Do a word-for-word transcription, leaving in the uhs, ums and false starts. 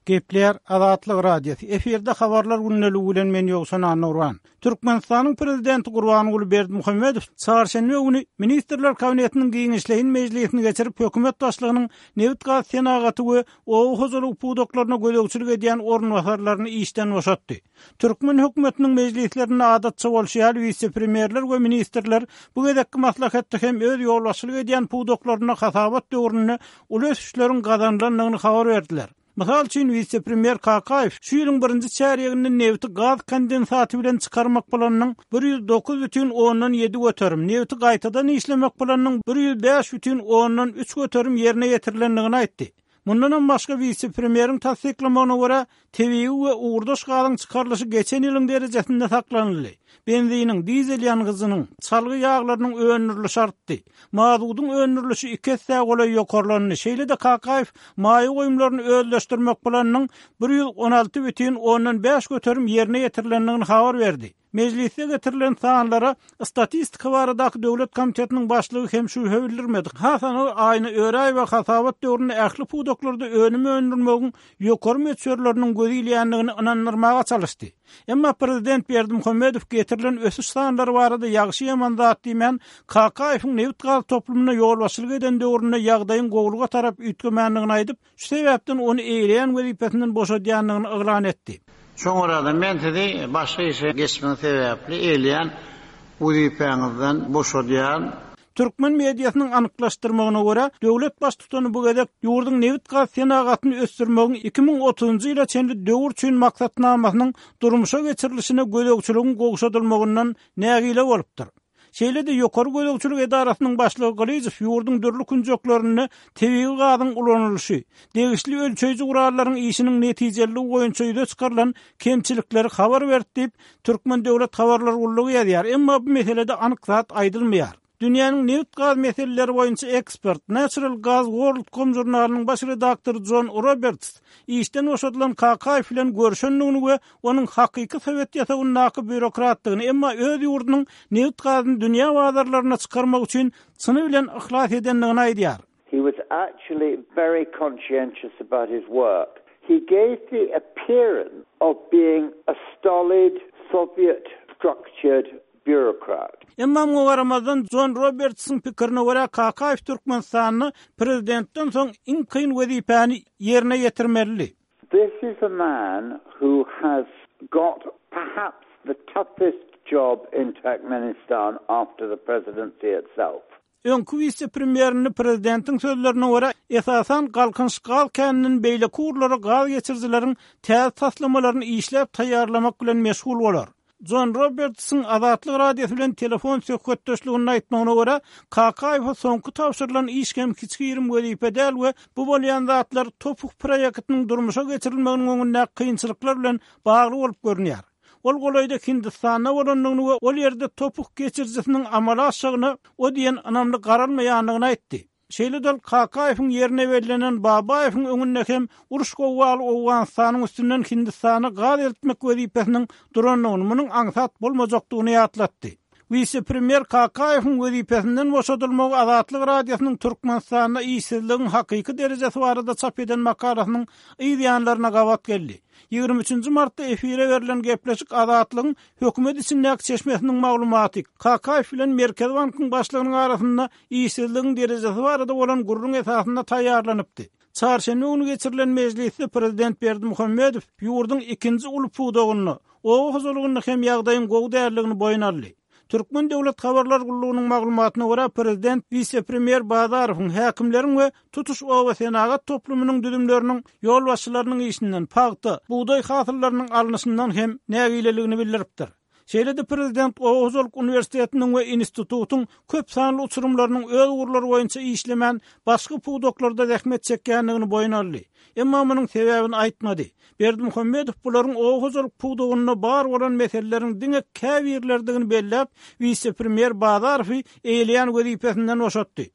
Gepleýär Azatlyk Radiosy. Efirde habarlar gündeligi bilen men Ýowşan Annurwan. Türkmenistanyň prezidenti Gurbanguly Berdimuhamedow çarşenbe güni Ministrler Kabinetiniň giňişleýin mejlisini geçirip, hökümet başlygynyň nebit-gaz senagaty we oba hojalygy pudaklaryna gözegçilik edýän orunbasarlaryny işden boşatdy. Türkmen hökümetiniň mejlislerinde adatça bolşy ýaly wise-premýerler we ministrler bu gezekki maslahatda hem öz ýolbaşçylyk edýän pudaklarynda hasabat döwründe uly ösüşleriň gazanylandygyny habar berdiler. Mysal üçin wise-premýer Kakaýew şu ýylyň birinji çärýeginde nebiti gaz kondensaty bilen çykarmak planynyň bir ýüz dokuz bütin ondan ýedi göterim, nebiti gaýtadan işlemek planynyň bir ýüz bäş bütin ondan üç göterim ýerine ýetirilendigini aýtdy. Mundanam başga wise-premýeriň tassyklamagyna görä, tebigy we ugurdaş gazyň çykarylyşy geçen ýylyň derejesinde saklanyldy. Benziniň, dizel ýangyjynyň, çalgy ýaglarynyň öndürilişi artdy. Mazudyň öndürilişi iki esse golaý ýokarlandy. Şeýle-de Kakaýew maýa goýumlaryny özleşdirmek planynyň bir ýüz on alty bütin ondan bäş göterim ýerine ýetirilendigini habar berdi. Mejlisde getirilen sanlara Statistika baradaky döwlet komitetiniň başlygy hem şübhe bildirmedi. Has anygy Aýna Öräýewa hasabat döwründe ähli pudaklarda önüm öndürmegiň ýokary möçberleriniň göz ilýändigini ynandyrmaga çalyşdy. Emma prezident Berdimuhamedow getirilen ösüş sanlary barada ýagşy ýaman zat diýmän, Kakaýewiň nebit-gaz toplumyna ýolbaşçylyk eden döwründe ýagdaýyň gowulyga tarap üýtgemändigini aýdyp, şu sebäpden ony eýleýän wezipesinden boşadýandygyny yglan etdi. Şoňa men sizi başga işe geçmegiň sebäpli eýleýän wezipäňizden boşadýan. Türkmen mediasynyň anyklaşdyrmagyna görä, döwlet baştutany bu gezek ýurduň nebit-gaz senagatyny ösdürmegiň iki müň otuzynjy ýyla çenli döwür üçin maksatnamasynyň durmuşa geçirilişine gözegçiligiň gowşadylmagyndan nägile bolupdyr. Şeýle-de ýokary gözegçilik edarasynyň başlygy Gylyjow ýurduň dürli künjeklerinde tebigy gazyň ulanylyşy, degişli ölçeýji gurallaryň işiniň netijeliligi boýunça ýüze çykarylan kemçilikleri habar berdi diýip, Türkmen döwlet habarlar gullugy ýazýar. Emma bu meselede anyk zat aýdylmaýar. Dünýäniň nebit-gaz meseleleri boýunça ekspert, Natural Gas World.com žurnalynyň baş redaktory John Roberts işden boşadylan Kakaýew bilen görüşendigini we onuň hakyky sowet ýasagyndaky býurokratdygyny, emma öz ýurdunyň nebit-gazyny dünýä bazarlaryna çykarmak üçin çyny bilen yhlas edendigini aýdýar. He was actually very conscientious about his work. He gave the appearance of being a stolid Soviet structured bureaucrat. Emma muňa garamazdan John Robertsyň pikirine görä Kakaýew Türkmenistanda prezidentden soň iň kyn wezipäni ýerine ýetirmelidi. This is a man who has got perhaps the toughest job in Turkmenistan after the presidency itself. Öňki wise-premýerini prezidentiň sözlerine görä, esasan Galkynyş gaz käniniň beýleki ugurlara gaz geçirijileriň täze taslamalaryny işläp taýýarlamak bilen meşgul bolar. John Robertsyň Azatlyk Radiosy bilen telefon söhbetdeşliginde aýtmagyna görä, Kakaýewe soňky tabşyrylan iş hem kiçigirim wezipe däl we bu bolýan zatlar Topuk proýektiniň durmuşa geçirilmeginiň öňünde kynçylyklar bilen bagly bolup görünýär. Ol golaýda Hindistanda bolandygyny we ol ýerde Topuk geçirijisiniň amala aşygyna o diýen ynamly garalmaýandygyny aýtdy. Şeýle-de Kakaýewiň ýerine bellenen Babaýewiň öňünde hem uruş gowgaly Owganystanyň üstünden Hindistana gaz eltmek wezipesiniň durandygyny, munuň aňsat bolmajakdygyny ýatlatdy. Wise-premýer Kakaýewiň wezipesinden boşadylmagy Azatlyk Radiosynyň Türkmenistanda işsizligiň hakyky derejesi barada çap eden makalasynyň yz ýanlaryna gabat geldi. Ýigrimi üçünji martda efire berlen gepleşik Azatlygyň hökümet içindäki çeşmesiniň maglumaty Kakaýew bilen Merkezi bankyň başlygynyň arasynda işsizligiň derejesi barada bolan gürrüň esasynda taýýarlanypdy. Çarşenbe güni geçirilen mejlisde prezident Berdimuhamedow ýurduň ikinji uly pudagynda, oba hojalygynda hem ýagdaýyň gowy däldigini boýun aldy. Türkmen döwlet habarlar gullugynyň maglumatyna görä, prezident wise-premýer Bazarowyň, häkimleriň we tutuş oba senagat toplumynyň düzümleriniň ýolbaşçylarynyň işinden, pagta, bugdaý hasyllarynyň alnyşyndan hem nägileligini bildiripdir. Şeýle-de prezident Oba hojalyk uniwersitetiniň we institutyň köp sanly uçurymlarynyň öz ugurlary boýunça işlemän, başga pudaklarda zähmet çekýändigini boýun aldy. Emma munuň sebäbini aýtmady. Berdimuhamedow bularyň oba hojalyk pudagynda bar bolan meseleleriň diňe käbirlerdigini belläp, wise-premýer Bazarowy eýleýän wezipesinden boşatdy.